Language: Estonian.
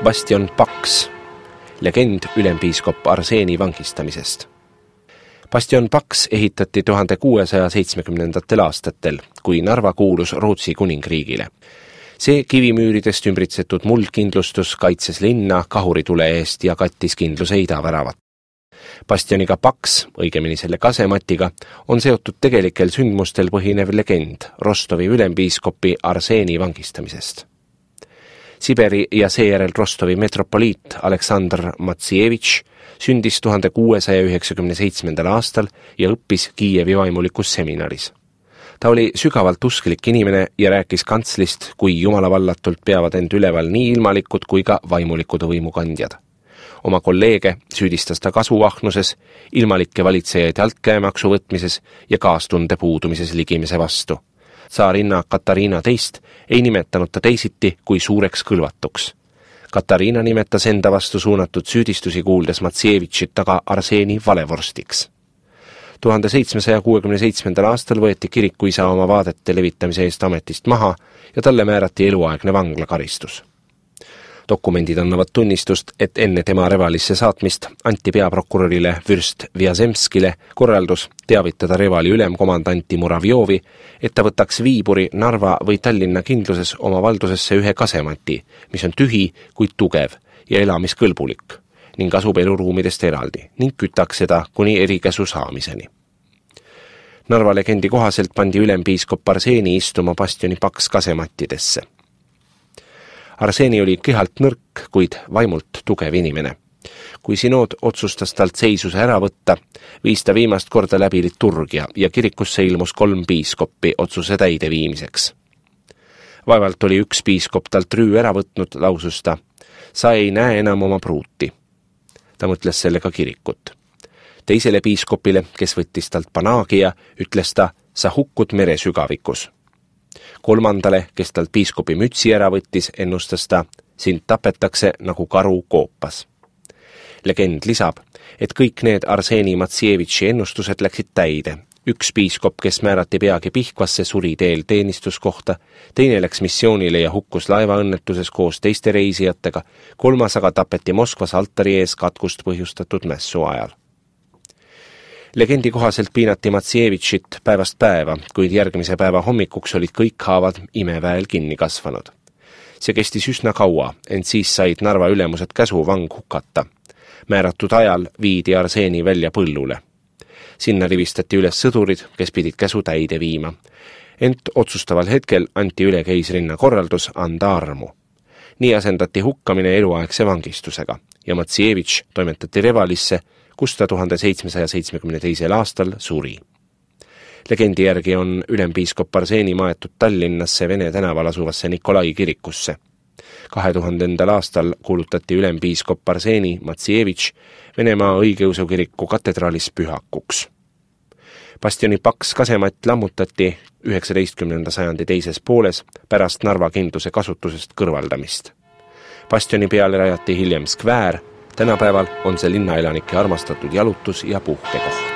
Bastion Paks, legend ülempiiskop Arseeni vangistamisest. Bastion Paks ehitati 1670. aastatel, kui Narva kuulus Rootsi kuningriigile. See kivimüüridest ümbritsetud muldkindlustus kaitses linna kahuritule eest ja kattis kindluse idaväravat. Bastioniga Paks, õigemini selle kasematiga, on seotud tegelikel sündmustel põhinev legend Rostovi ülempiiskopi Arseeni vangistamisest. Siberi ja seejärel Rostovi metropoliit Aleksandr Matsijevitš sündis 1697. aastal ja õppis Kiievi vaimulikus seminaris. Ta oli sügavalt usklik inimene ja rääkis kantslist, kui jumalavallatult peavad end üleval nii ilmalikud kui ka vaimulikud võimukandjad. Oma kolleege süüdistas ta kasuahnuses, ilmalikke valitsejaid altkäemaksu võtmises ja kaastunde puudumises ligimise vastu. Tsaarinna Katariina teist ei nimetanud ta teisiti kui suureks kõlvatuks. Katariina nimetas enda vastu suunatud süüdistusi kuuldes Matsijevitšit taga Arseeni valevorstiks. 1767. aastal võeti kirikuisa oma vaadete levitamise eest ametist maha ja talle määrati eluaegne vanglakaristus. Dokumendid annavad tunnistust, et enne tema Revalisse saatmist anti peaprokurörile Vürst Vjazemskile korraldus teavitada Revali ülemkomandanti Muravjovi, et ta võtaks Viiburi, Narva või Tallinna kindluses oma valdusesse ühe kasemati, mis on tühi, kuid tugev ja elamiskõlbulik, ning asub eluruumidest eraldi ning kütaks seda kuni erikäsu saamiseni. Narva legendi kohaselt pandi ülempiiskop Arseeni istuma Bastioni Paks kasemattidesse. Arseeni oli kehalt nõrk, kuid vaimult tugev inimene. Kui sinood otsustas talt seisuse ära võtta, viis ta viimast korda läbi liturgia ja kirikusse ilmus 3 piiskoppi otsuse täideviimiseks. Vaevalt oli üks piiskop talt rüü ära võtnud, lausus ta, sa ei näe enam oma pruuti. Ta mõtles sellega kirikut. Teisele piiskopile, kes võttis talt panaagia, ütles ta, sa hukkud mere sügavikus. Kolmandale, kes talt piiskopi mütsi ära võttis, ennustas ta, sind tapetakse nagu karu koopas. Legend lisab, et kõik need Arseeni Matsijevitši ennustused läksid täide. Üks piiskop, kes määrati peagi Pihkvasse, suri teel teenistuskohta, teine läks missioonile ja hukkus laevaõnnetuses koos teiste reisijatega, 3. aga tapeti Moskvas altari ees katkust põhjustatud mässu ajal. Legendi kohaselt piinati Matsijevitšit päevast päeva, kuid järgmise päeva hommikuks olid kõik haavad imeväel kinni kasvanud. See kestis üsna kaua, ent siis said Narva ülemused käsu vang hukata. Määratud ajal viidi Arseeni välja põllule. Sinna rivistati üles sõdurid, kes pidid käsu täide viima. Ent otsustaval hetkel anti üle keisrinna korraldus anda armu. Nii asendati hukkamine eluaegse vangistusega ja Matsijevitš toimetati Revalisse, kus ta 1772. aastal suri. Legendi järgi on ülempiiskop Arseeni maetud Tallinnasse Vene tänaval asuvasse Nikolai kirikusse. 2000. aastal kuulutati ülempiiskop Arseeni Matsijevitš Venemaa õigeusu kiriku katedraalis pühakuks. Bastioni Paks kasematt lammutati 19. sajandi teises pooles pärast Narva kindluse kasutusest kõrvaldamist. Bastioni peale rajati hiljem skväär, tänapäeval on see linnaelanike armastatud jalutus- ja puhkekoht.